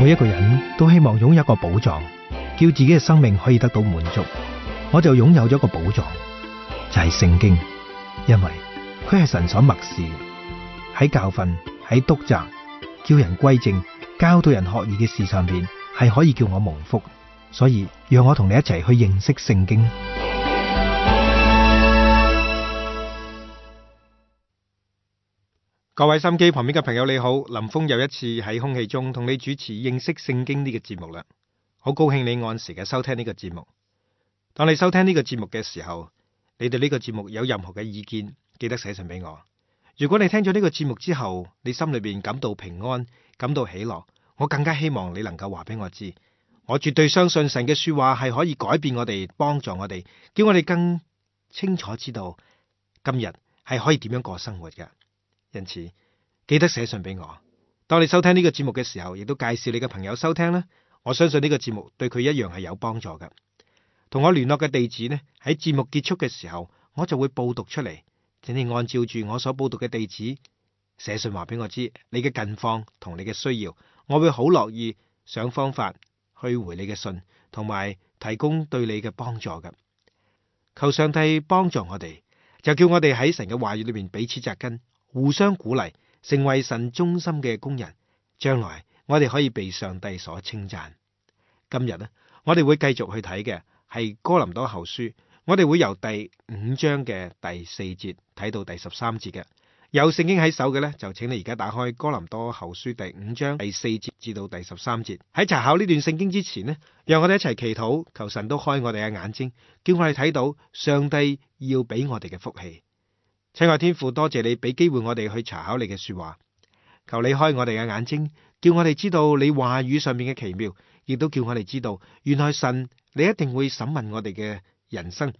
每一個人都希望擁有一個寶藏，叫自己嘅生命可以得到滿足。我就擁有咗一個寶藏，就係聖經，因為佢係神所默示嘅，喺教訓、喺督責、叫人歸正、教導人學義嘅事上邊，係可以叫我蒙福。所以讓我同你一齊去認識聖經。各位心機旁邊嘅朋友你好，林峰又一次喺空氣中同你主持認識聖經呢個節目啦。好高興你按時嘅收聽呢個節目。當你收聽呢個節目嘅時候，你對呢個節目有任何嘅意見，記得寫信俾我。如果你聽咗呢個節目之後，你心裏邊感到平安，感到喜樂，我更加希望你能夠話俾我知。我絕對相信神嘅說話係可以改變我哋，幫助我哋，叫我哋更清楚知道今日係可以點樣過生活嘅。因此，記得寫信俾我。當你收聽呢個節目嘅時候，亦都介紹你嘅朋友收聽啦。我相信呢個節目對佢一樣係有幫助嘅。同我聯絡嘅地址呢，喺節目結束嘅時候，我就會報讀出嚟。請你按照住我所報讀嘅地址寫信話俾我知你嘅近況同你嘅需要，我會好樂意想方法去回你嘅信，同埋提供對你嘅幫助嘅。求上帝幫助我哋，就叫我哋喺神嘅話語裏面彼此扎根，互相鼓勵，成為神忠心嘅工人。將來我哋可以被上帝所稱讚。今日呢，我哋會繼續去睇嘅係哥林多後書，我哋會由第5章嘅第4節睇到第13節嘅。有聖經喺手嘅呢，就請你而家打開哥林多後書第5章第4節至到第13節。喺查考呢段聖經之前呢，讓我哋一齊祈禱，求神都開我哋嘅眼睛，叫我哋睇到上帝要俾我哋嘅福氣。親愛天父，多謝你俾機會我哋去查考你嘅說話，求你開我哋嘅眼睛，叫我哋知道你話語上面嘅奇妙，亦都叫我哋知道原來神你一定會審問我哋嘅人生，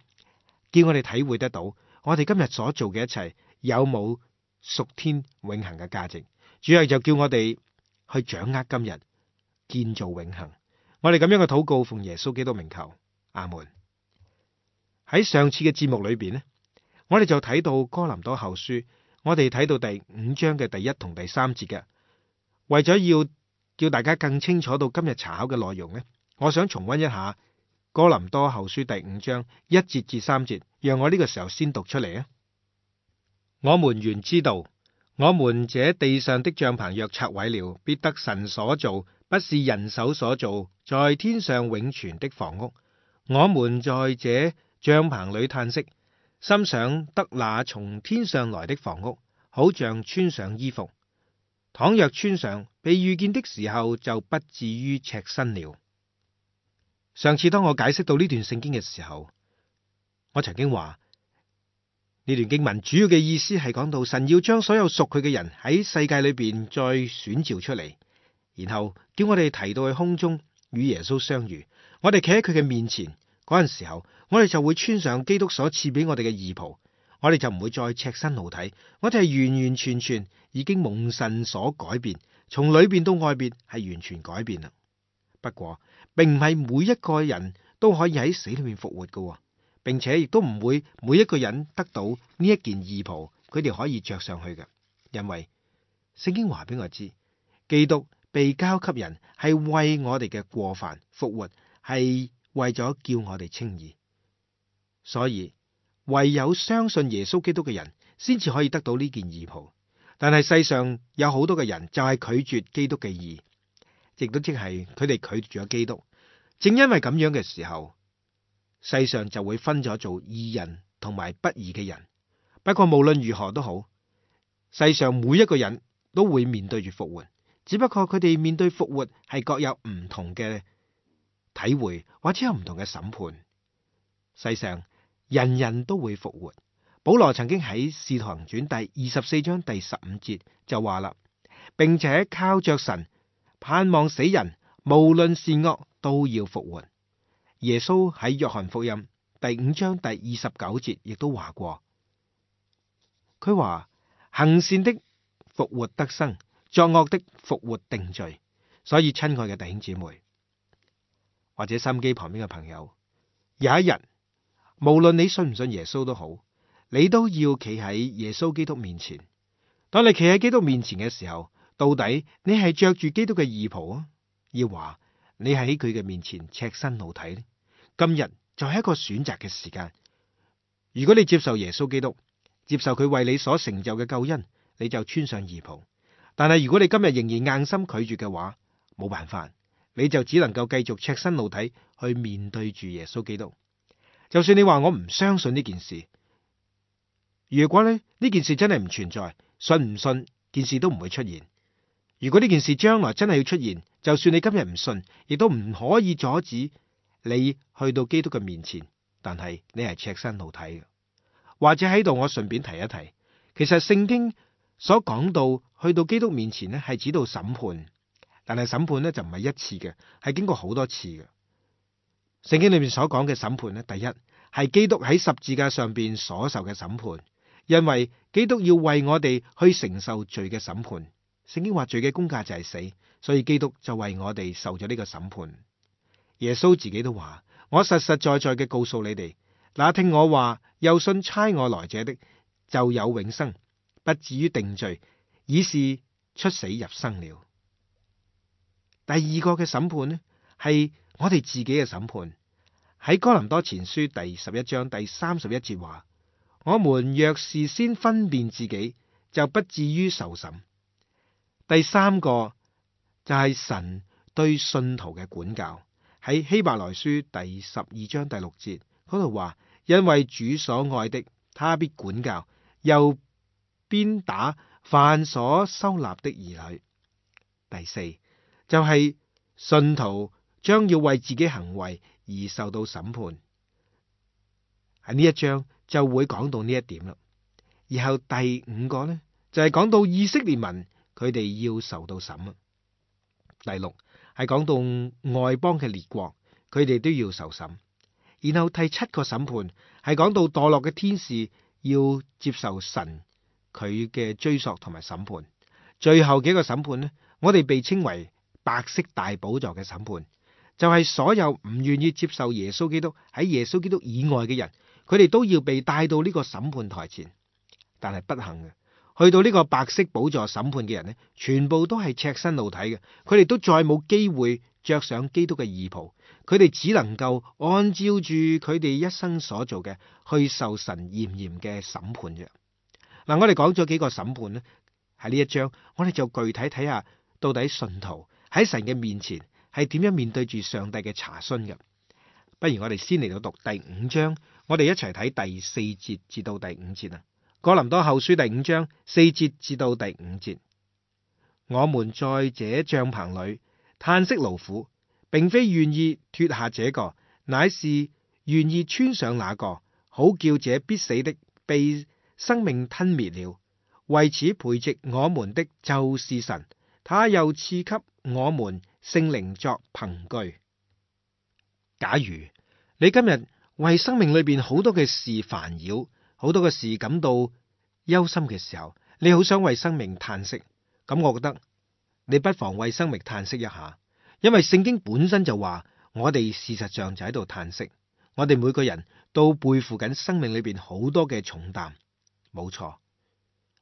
叫我哋體會得到我哋今日所做嘅一切有冇屬天永恆嘅價值。主要就叫我哋去掌握今日，建造永恆。我哋咁樣嘅禱告奉耶穌基督名求，阿門。喺上次嘅節目裏邊呢，我哋就睇到哥林多後書，我哋睇到第5章嘅第1同第3節嘅。為咗要叫大家更清楚到今日查考嘅內容呢，我想重溫一下哥林多後書第5章1節至3節，讓我呢個時候先讀出嚟啊。我們原知道，我們這地上的帳棚若拆毀了，必得神所造，不是人手所造，在天上永存的房屋。我們在這帳棚裏嘆息，心想得那從天上來的房屋，好像穿上衣服。倘若穿上，被遇見的時候，就不至於赤身了。上次當我解釋到呢段聖經嘅時候，我曾經話呢段經文主要嘅意思係講到神要將所有屬佢嘅人喺世界裏邊再選召出嚟，然後叫我哋提到去空中與耶穌相遇。我哋企喺佢嘅面前嗰陣時候，我哋就會穿上基督所賜俾我哋嘅義袍，我哋就唔會再赤身露體，我哋係完完全全已經蒙神所改變，從裏邊到外邊係完全改變啦。不過並唔係每一個人都可以喺死裏面復活㗎，並且亦都唔會每一個人得到呢一件義袍，佢哋可以着上去嘅。因為聖經話俾我知，基督被交給人係為我哋嘅過犯復活，係為咗叫我哋稱義。所以唯有相信耶穌基督嘅人，先至可以得到呢件義袍。但係世上有好多嘅人就係拒絕基督嘅義，亦都即係佢哋拒絕咗基督。正因為咁樣嘅時候，世上就會分咗做義人同埋不義嘅人。不過無論如何都好，世上每一個人都會面對住復活，只不過佢哋面對復活係各有唔同嘅體會，或者有唔同嘅審判。世上人人都會復活。保羅曾經喺《使徒行傳》第24章第15節就話啦，並且靠着神盼望死人無論善惡都要復活。耶穌喺約翰福音第5章第29節亦都話過，佢話行善的復活得生，作惡的復活定罪。所以親愛嘅弟兄姊妹，或者收音機旁邊嘅朋友，有一日無論你信唔信耶穌都好，你都要企喺耶穌基督面前。當你企喺基督面前嘅時候，到底你係着住基督嘅義袍啊，要話你係喺佢嘅面前赤身露體呢？今日就係一個選擇嘅時間。如果你接受耶穌基督，接受佢為你所成就嘅救恩，你就穿上義袍。但係如果你今日仍然硬心拒絕嘅話，冇辦法，你就只能夠繼續赤身露體去面對住耶穌基督。就算你話我唔相信呢件事，如果呢件事真係唔存在，信唔信件事都唔會出現。如果呢件事將來真係要出現，就算你今日唔信，亦都唔可以阻止你去到基督嘅面前。但係你係赤身露體嘅。或者喺度我順便提一提，其實聖經所講到去到基督面前呢，係指到審判，但係審判呢就唔係一次嘅，係經過好多次嘅。聖經裏面所講嘅審判呢，第一係基督喺十字架上邊所受嘅審判，因為基督要為我哋去承受罪嘅審判。聖經話罪嘅工價就係死，所以基督就為我哋受咗呢個審判。耶穌自己都話：我實實在在嘅告訴你哋，那聽我話又信差我來者的，就有永生，不至於定罪，已是出死入生了。第二個嘅審判呢，係我哋自己嘅審判。喺哥林多前書第11章第31節話：我們若是先分辨自己，就不至於受審。第三個就係神對信徒嘅管教。喺希伯來書第12章第6節嗰度話：因為主所愛的，他必管教，又鞭打凡所收納的兒女。第四就係信徒將要為自己行為而受到審判。喺呢一章就會講到呢一點啦。然後第五個呢，就係講到以色列民佢哋要受到審啊。第六係講到外邦嘅列國，佢哋都要受審。然後第七個審判係講到墮落嘅天使要接受神佢嘅追索同埋審判。最後幾個審判呢，我哋被稱為白色大寶座嘅審判，就係所有唔願意接受耶穌基督喺耶穌基督以外嘅人，佢哋都要被帶到呢個審判台前。但係不幸嘅，去到呢個白色寶座審判嘅人呢，全部都係赤身露體嘅，佢哋都再冇機會着上基督嘅義袍，佢哋只能夠按照住佢哋一生所做嘅去受神嚴嚴嘅審判啫。嗱，我哋講咗幾個審判呢，喺呢一章我哋就具體睇下到底信徒喺神嘅面前係點樣面對住上帝嘅查詢嘅。不如我哋先嚟到讀第5章，我哋一齊睇第4節至到第5節啊。哥林多後書第5章4節至到第5節，我們在這帳棚裏嘆息勞苦，並非願意脫下這個，乃是願意穿上那個，好叫這必死的被生命吞滅了。為此培植我們的就是神，他又賜給我們聖靈作憑據。假如你今日為生命裏邊好多嘅事煩擾，好多嘅事感到憂心嘅時候，你好想為生命嘆息，咁我覺得你不妨為生命嘆息一下，因為聖經本身就話我哋事實上就喺度嘆息，我哋每個人都背負緊生命裏邊好多嘅重擔，冇錯，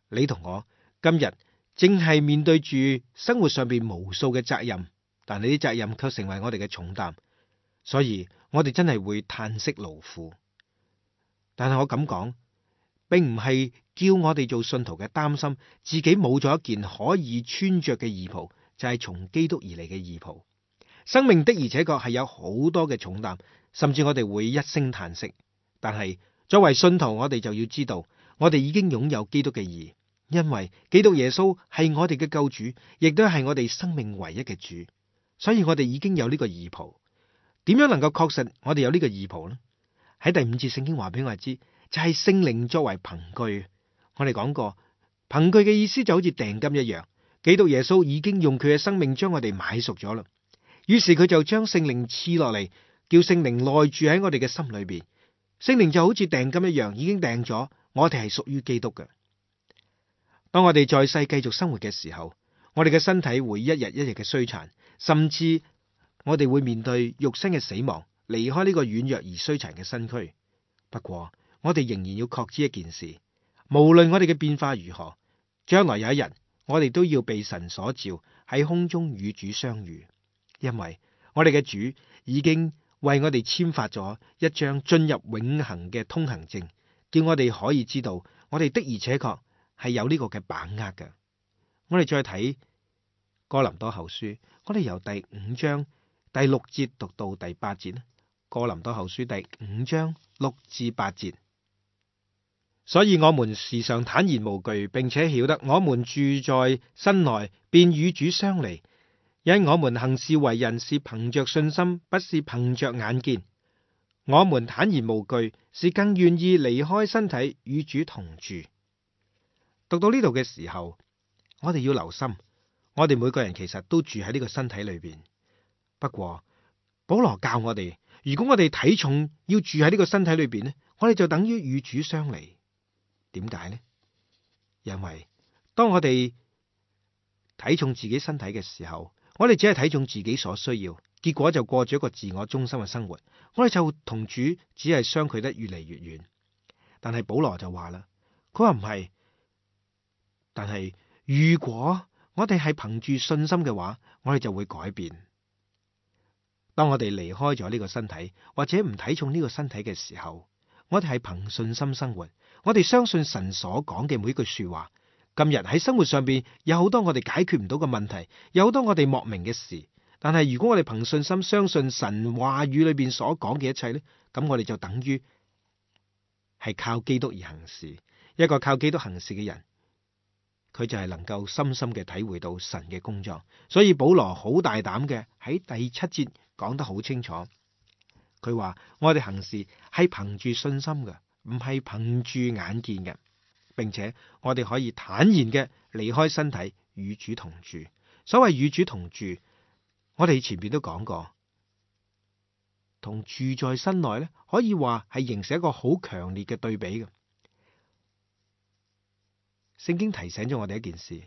你同我今日正係面對住生活上邊無數嘅責任，但係啲責任卻成為我哋嘅重擔，所以我哋真係會嘆息勞苦。但係我咁講，並唔係叫我哋做信徒嘅擔心自己冇咗一件可以穿着嘅義袍，就係從基督而嚟嘅義袍。生命的而且確係有好多嘅重擔，甚至我哋會一聲嘆息。但係作為信徒，我哋就要知道，我哋已經擁有基督嘅義，因為基督耶穌係我哋嘅救主，亦都係我哋生命唯一嘅主，所以我哋已經有呢個義袍。點樣能夠確實我哋有呢個義袍呢？喺第5節聖經話俾我哋知，就係聖靈作為憑據。我哋講過，憑據嘅意思就好似訂金一樣。基督耶穌已經用佢嘅生命將我哋買贖咗啦。於是佢就將聖靈賜落嚟，叫聖靈內住喺我哋嘅心裏邊。聖靈就好似訂金一樣，已經訂咗我哋係屬於基督嘅。當我哋在世繼續生活嘅時候，我哋嘅身體會一日一日嘅衰殘，甚至我哋會面對肉身嘅死亡，離開呢個軟弱而衰殘嘅身軀。不過我哋仍然要確知一件事，無論我哋嘅變化如何，將來有一日我哋都要被神所召，喺空中與主相遇。因為我哋嘅主已經為我哋簽發咗一張進入永恆嘅通行證，叫我哋可以知道我哋的而且確係有呢個嘅把握嘅。我哋再睇哥林多後書，我哋由第5章第6節讀到第8節啦。哥林多後書第5章6至8節，所以我們時常坦然無懼，並且曉得我們住在身內，便與主相離。因我們行事為人是憑着信心，不是憑着眼見。我們坦然無懼，是更願意離開身體與主同住。讀到呢度嘅時候，我哋要留心，我哋每個人其實都住喺呢個身體裏邊。不過保羅教我哋，如果我哋體重要住喺呢個身體裏邊呢，我哋就等於與主相離。點解呢？因為當我哋睇重自己身體嘅時候，我哋只係睇重自己所需要，結果就過咗一個自我中心嘅生活，我哋就同主只係相距得越嚟越遠。但係保羅就話啦，佢話唔係，但係如果我哋係憑住信心嘅話，我哋就會改變。當我哋離開咗呢個身體，或者唔睇重呢個身體嘅時候，我哋係憑信心生活，我哋相信神所講嘅每一句說話。今日喺生活上邊有好多我哋解決唔到嘅問題，有好多我哋莫名嘅事。但係如果我哋憑信心相信神話語裏邊所講嘅一切呢，咁我哋就等於係靠基督而行事。一個靠基督行事嘅人，佢就係能夠深深嘅體會到神嘅工作。所以保羅好大膽嘅喺第7節講得好清楚，佢話我哋行事係憑住信心嘅，唔係憑住眼見嘅。並且我哋可以坦然嘅離開身體與主同住。所謂與主同住，我哋前邊都講過，同住在身內咧，可以話係形成一個好強烈嘅對比嘅。聖經提醒咗我哋一件事，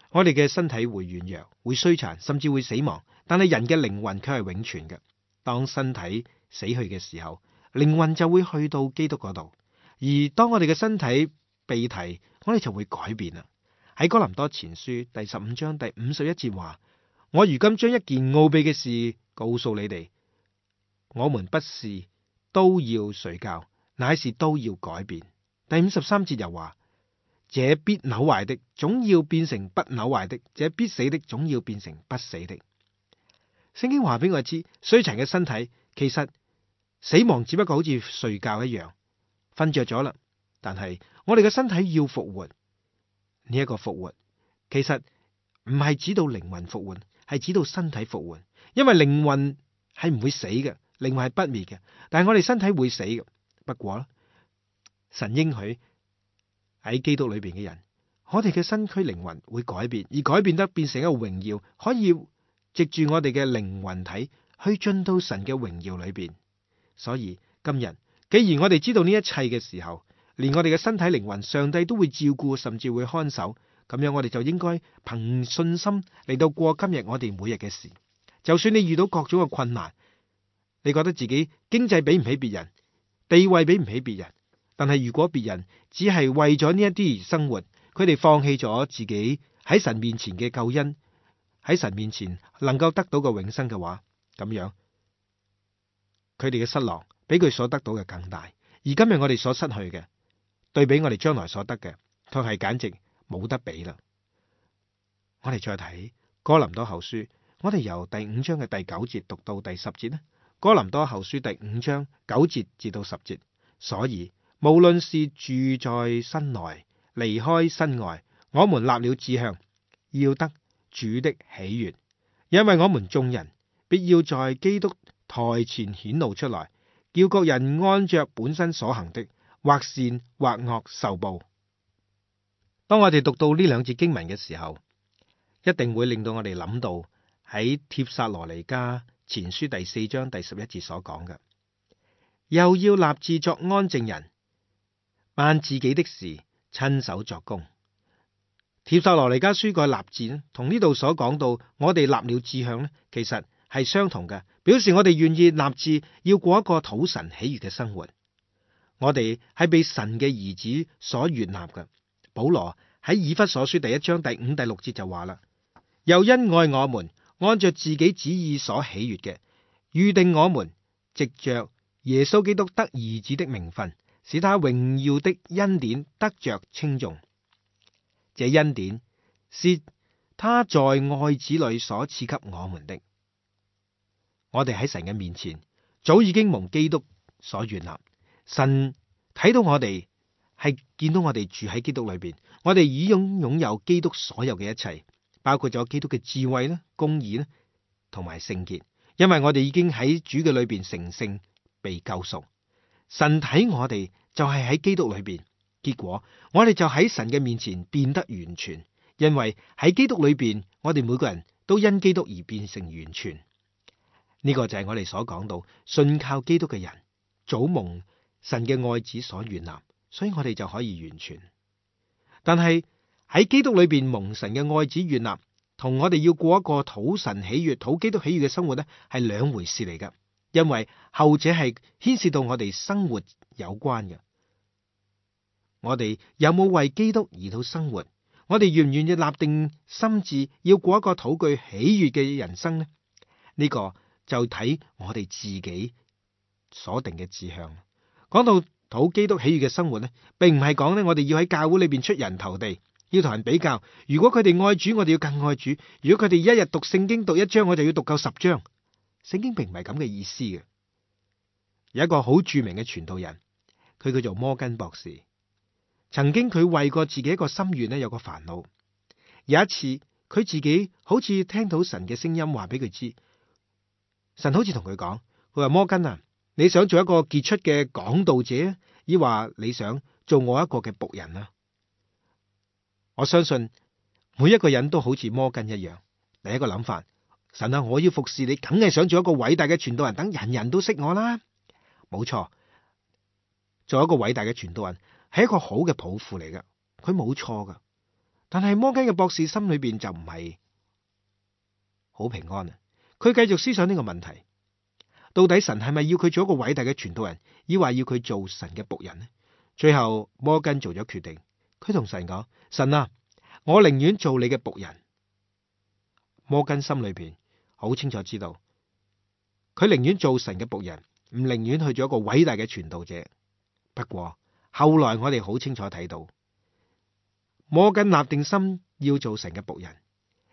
我哋嘅身體會軟弱、會衰殘，甚至會死亡，但係人嘅靈魂卻係永存嘅。當身體死去嘅時候，靈魂就會去到基督嗰度。而當我哋嘅身體被提，我哋就會改變啦。喺哥林多前書第15章第51節話：我如今將一件奧秘嘅事告訴你哋，我們不是都要睡覺，乃是都要改變。第53節又話：這必朽壞的，總要變成不朽壞的；這必死的，總要變成不死的。聖經話俾我知，衰殘嘅身體其實死亡只不過好似睡覺一樣，瞓着咗啦。但係我哋嘅身體要復活，呢一個復活其實唔係指到靈魂復活，係指到身體復活。因為靈魂係唔會死嘅，靈魂係不滅嘅，但係我哋身體會死嘅。不過神應許喺基督裏邊嘅人，我哋嘅身軀靈魂會改變，而改變得變成一個榮耀，可以藉住我哋嘅靈魂體去進到神嘅榮耀裏邊。所以今日既然我哋知道呢一切嘅時候，連我哋嘅身體靈魂，上帝都會照顧，甚至會看守。咁樣我哋就應該憑信心嚟到過今日我哋每日嘅事。就算你遇到各種嘅困難，你覺得自己經濟比唔起別人，地位比唔起別人，但係如果別人只係為咗呢一啲而生活，佢哋放棄咗自己喺神面前嘅救恩，喺神面前能夠得到嘅永生嘅話，咁樣佢哋嘅失落比佢所得到嘅更大。而今日我哋所失去嘅，對比我哋將來所得嘅，佢係簡直冇得比啦。我哋再睇哥林多後書，我哋由第5章嘅第9節讀到第10節呢。哥林多後書第5章9節至到10節，所以無論是住在身內，離開身外，我們立了志向，要得主的喜悅，因為我們眾人必要在基督台前顯露出來，叫各人按着本身所行的，或善或惡受報。當我哋讀到呢2節經文嘅時候，一定會令到我哋諗到喺帖撒羅尼迦前書第4章第11節所講嘅，又要立志作安靜人，辦自己的事，親手作工。帖撒羅尼迦書個立志呢，同呢度所講到我哋立了志向呢，其實係相同嘅，表示我哋願意立志要過一個討神喜悅嘅生活。我哋係被神嘅兒子所悅納嘅。保羅喺以弗所書第1章第5、第6節就話啦，又因愛我們，按照自己旨意所喜悅嘅，預定我們藉着耶穌基督得兒子的名分，使他榮耀的恩典得着稱頌。這恩典是他在愛子裏所賜給我們的。我哋喺神嘅面前早已經蒙基督所悅納，神睇到我哋係見到我哋住喺基督裏邊，我哋已經擁有基督所有嘅一切，包括咗基督嘅智慧啦、公義啦同埋聖潔，因為我哋已經喺主嘅裏邊成聖被救贖。神睇我哋就係喺基督裏邊，結果我哋就喺神嘅面前變得完全，因為喺基督裏邊，我哋每個人都因基督而變成完全。呢個就係我哋所講到信靠基督嘅人，早蒙神嘅愛子所悅納，所以我哋就可以完全。但係喺基督裏邊蒙神嘅愛子悅納，同我哋要過一個討神喜悅、討基督喜悅嘅生活呢，係兩回事嚟噶。因為後者係牽涉到我哋生活有關嘅。我哋有冇為基督而到生活？我哋願唔願意立定心志，要過一個討佢喜悅嘅人生呢？呢個就睇我哋自己所定嘅志向。講到討基督喜悅嘅生活呢，並唔係講呢，我哋要喺教會裏邊出人頭地，要同人比較。如果佢哋愛主，我哋要更愛主；如果佢哋一日讀聖經讀一章，我就要讀夠10章。聖經並唔係咁嘅意思嘅。有一個好著名嘅傳道人，佢叫做摩根博士。曾經佢為過自己一個心願呢，有個煩惱。有一次佢自己好似聽到神嘅聲音話俾佢知，神好似同佢講，佢話摩根啊，你想做一個傑出嘅講道者，抑或你想做我一個嘅僕人啊？我相信每一個人都好似摩根一樣，第一個諗法，神啊，我要服侍你，梗係想做一個偉大嘅傳道人，等人人都識我啦。冇錯，做一個偉大嘅傳道人係一個好嘅抱負嚟噶，佢冇錯噶。但係摩根嘅博士心裏邊就唔係好平安啊！佢繼續思想呢個問題，到底神係咪要佢做一個偉大嘅傳道人，抑或要佢做神嘅僕人呢？最後摩根做咗決定，佢同神講：神啊，我寧願做你嘅僕人。摩根心裏邊好清楚知道，佢寧願做神嘅僕人，唔寧願去做一個偉大嘅傳道者。不過後來我哋好清楚睇到，摩根立定心要做神嘅僕人，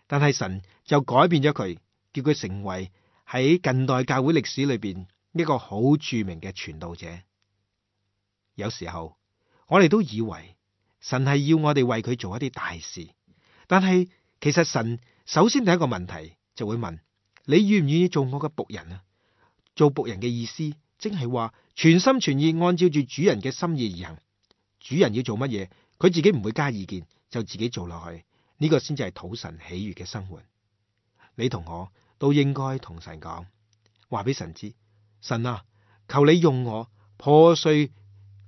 但係神就改變咗佢，叫佢成為喺近代教會歷史裏邊一個好著名嘅傳道者。有時候我哋都以為神係要我哋為佢做一啲大事，但係其實神首先第一個問題就會問：你願唔願意做我嘅僕人啊？做僕人嘅意思，即係話全心全意按照住主人嘅心意而行。主人要做乜嘢，佢自己唔會加意見，就自己做落去。呢個先至係討神喜悅嘅生活。你同我都應該同神講，話俾神知：神啊，求你用我破碎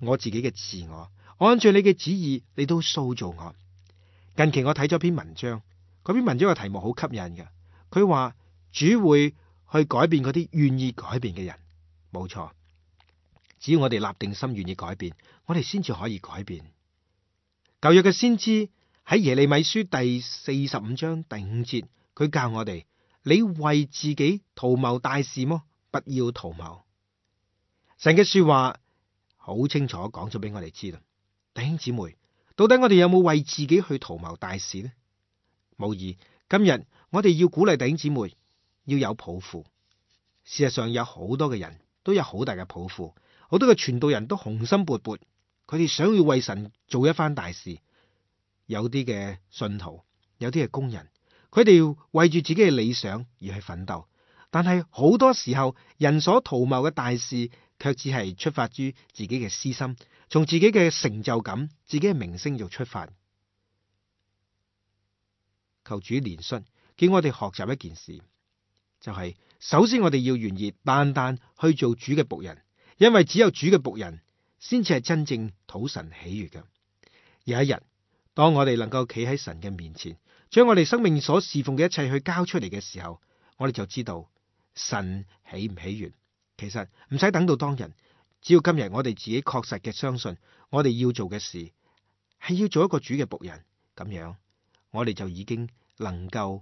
我自己嘅自我，按照你嘅旨意你都塑造我。近期我睇咗篇文章，嗰篇文章嘅題目好吸引嘅。佢話主會去改變嗰啲願意改變嘅人。冇錯，只要我哋立定心願意改變，我哋先至可以改變。舊約嘅先知喺耶利米書第45章第5節，佢教我哋：你為自己圖謀大事麼？不要圖謀。神嘅說話好清楚講咗俾我哋知啦。弟兄姊妹，到底我哋有冇為自己去圖謀大事呢？無疑，今日我哋要鼓勵弟兄姊妹要有抱負。事實上有好多嘅人都有好大嘅抱負，好多嘅傳道人都雄心勃勃，佢哋想要為神做一番大事。有啲嘅信徒，有啲嘅工人，佢哋要為住自己嘅理想而去奮鬥，但係好多時候人所圖謀嘅大事，卻只係出發於自己嘅私心，從自己嘅成就感、自己嘅名聲做出發。求主憐恤，叫我哋學習一件事，就係首先我哋要願意單單去做主嘅僕人，因為只有主嘅僕人先至係真正討神喜悅嘅。有一日，當我哋能夠企喺神嘅面前，將我哋生命所侍奉嘅一切去交出嚟嘅時候，我哋就知道神喜唔喜悅。其實唔使等到當日，只要今日我哋自己確實嘅相信，我哋要做嘅事係要做一個主嘅僕人，咁樣我哋就已經能夠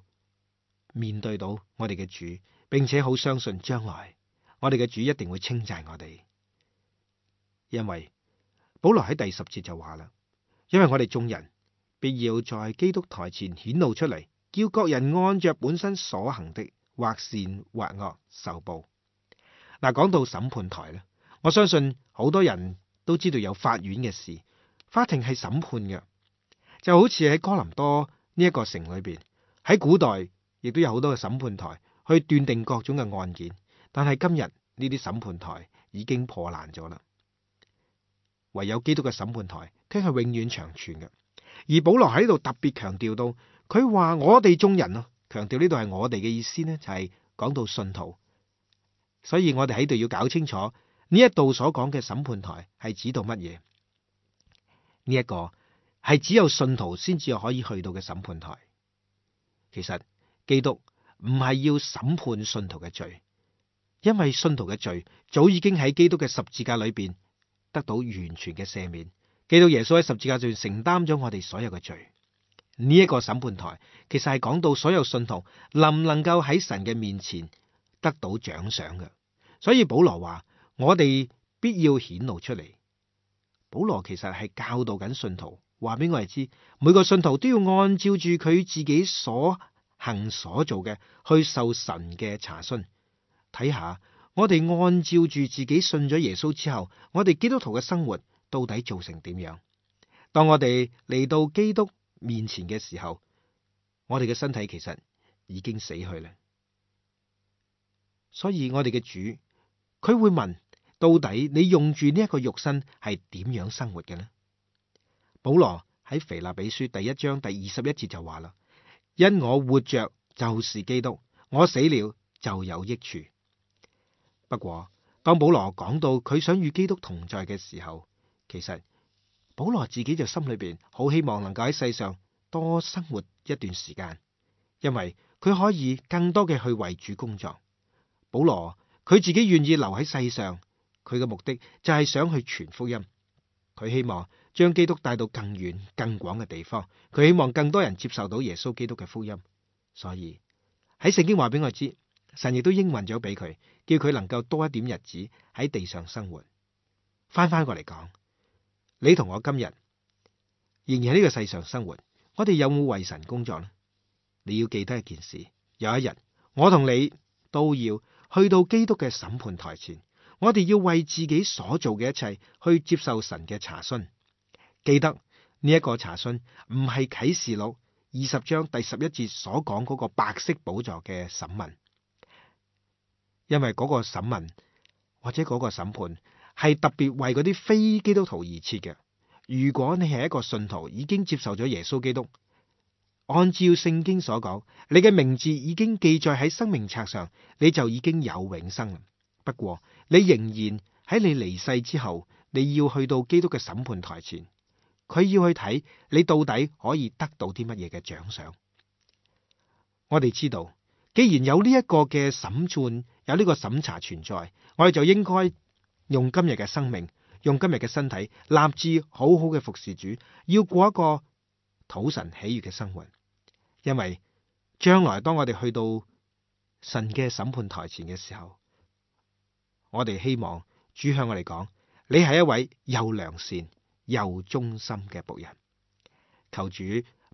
面對到我哋嘅主，並且好相信將來我哋嘅主一定會稱讚我哋。因為保羅喺第10節就話啦，因為我哋眾人必要在基督台前顯露出嚟，叫各人按着本身所行的，或善或惡受報。嗱，講到審判台咧，我相信好多人都知道有法院嘅事，法庭係審判嘅，就好似喺哥林多呢一個城裏邊，喺古代亦都有好多嘅審判台去斷定各種嘅案件，但係今日呢啲審判台已經破爛咗啦，唯有基督嘅審判台佢係永遠長存嘅。而保羅喺呢度特別強調到，佢話我哋眾人啊，強調呢度係我哋嘅意思呢，就係講到信徒。所以我哋喺度要搞清楚呢一度所講嘅審判台係指到乜嘢？呢一個係只有信徒先至可以去到嘅審判台。其實基督唔係要審判信徒嘅罪，因為信徒嘅罪早已經喺基督嘅十字架裏邊得到完全嘅赦免。基督耶穌喺十字架上承擔咗我哋所有嘅罪。呢一個審判台其實係講到所有信徒能唔能夠喺神嘅面前得到獎賞嘅。所以保羅話我哋必要顯露出嚟。保羅其實係教導緊信徒，話俾我哋知，每個信徒都要按照住佢自己所行所做嘅去受神嘅查詢。睇下我哋按照住自己信咗耶穌之後，我哋基督徒嘅生活到底做成點樣？當我哋嚟到基督面前嘅時候，我哋嘅身體其實已經死去啦。所以我哋嘅主，佢會問，到底你用住呢一個肉身係點樣生活嘅呢？保羅喺腓立比書第1章第21節就話啦，因我活着就是基督，我死了就有益處。不過當保羅講到佢想與基督同在嘅時候，其實保羅自己就心裏邊好希望能夠喺世上多生活一段時間，因為佢可以更多嘅去為主工作。保羅佢自己願意留喺世上，佢嘅目的就係想去傳福音。佢希望將基督帶到更遠更廣嘅地方，佢希望更多人接受到耶穌基督嘅福音。所以喺聖經話俾我知，神亦都應允咗俾佢，叫佢能夠多一點日子喺地上生活。翻過嚟講，你同我今日仍然喺呢個世上生活，我哋有冇為神工作呢？你要記得一件事，有一日我同你都要去到基督嘅審判台前，我哋要為自己所做嘅一切去接受神嘅查詢。記得呢一個查詢唔係啟示錄20章第11節所講嗰個白色寶座嘅審問，因為嗰個審問或者嗰個審判係特別為嗰啲非基督徒而設嘅。如果你係一個信徒，已經接受咗耶穌基督，按照聖經所講，你嘅名字已經記載喺生命冊上，你就已經有永生。不過你仍然喺你離世之後，你要去到基督嘅審判台前，佢要去睇你到底可以得到啲乜嘢嘅獎賞。我哋知道，既然有呢一個嘅審判，有呢個審查存在，我哋就應該用今日嘅生命，用今日嘅身體，立志好好嘅服侍主，要過一個討神喜悅嘅生活。因為將來當我哋去到神嘅審判台前嘅時候，我哋希望主向我哋講，你係一位又良善又忠心嘅僕人。求主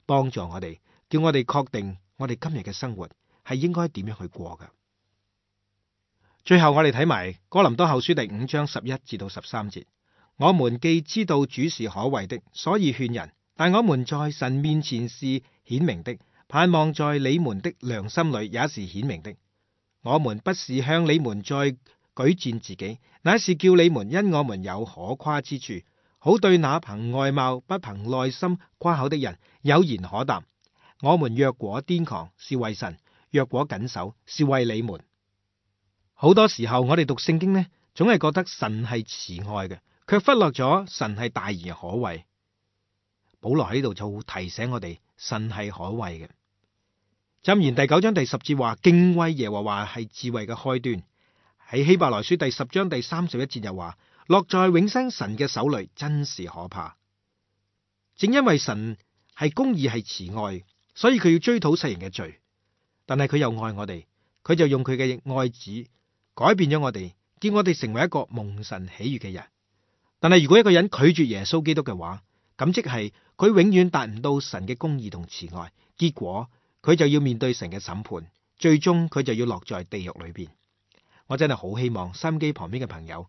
幫助我哋，叫我哋確定我哋今日嘅生活係應該點樣去過㗎。最後我哋睇埋哥林多後書第5章11至到13節，我們既知道主是可畏的，所以勸人，但我們在神面前是顯明的，盼望在你們的良心裏也是顯明的。我們不是向你們再舉薦自己，乃是叫你們因我們有可誇之處，好對那憑外貌不憑內心誇口的人有言可答。我們若果癲狂，是為神；若果謹守，是為你們。好多時候我哋讀聖經呢，總係覺得神係慈愛嘅，卻忽略咗神係大而可畏。保羅喺呢度就提醒我哋，神係可畏嘅。箴言第9章第10節話，敬畏耶和華係智慧嘅開端。喺希伯來書第10章第31節又話，落在永生神嘅手裏真是可怕。正因為神係公義係慈愛，所以佢要追討世人嘅罪。但係佢又愛我哋，佢就用佢嘅愛子改變咗我哋，叫我哋成為一個蒙神喜悅嘅人。但係如果一個人拒絕耶穌基督嘅話，咁即係佢永遠達唔到神嘅公義同慈愛，結果佢就要面對神嘅審判，最終佢就要落在地獄裏邊。我真係好希望收音機旁邊嘅朋友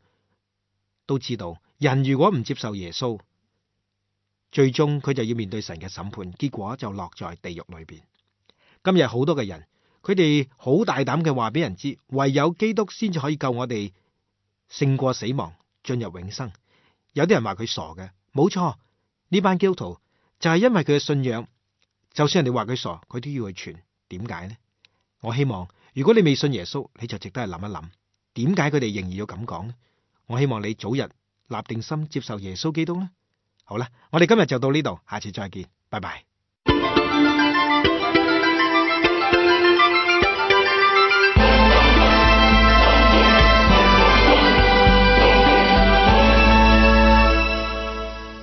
都知道，人如果唔接受耶穌，最終佢就要面對神嘅審判，結果就落在地獄裏邊。今日好多嘅人，佢哋好大膽嘅話俾人知，唯有基督先至可以救我哋勝過死亡，進入永生。有啲人話佢傻嘅，冇錯，呢班基督徒就係因為佢嘅信仰，就算人哋話佢傻，佢都要去傳。點解呢？我希望如果你未信耶穌，你就值得去諗一諗，點解佢哋仍然要咁講呢？我希望你早日立定心接受耶穌基督呢。好啦，我哋今日就到呢度，下次再見，拜拜。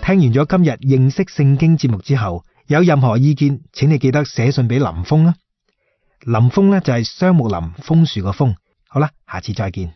聽完咗今日認識聖經節目之後，有任何意見，請你記得寫信俾林峰啦。林峰呢就係雙木林楓樹個楓。好啦，下次再見。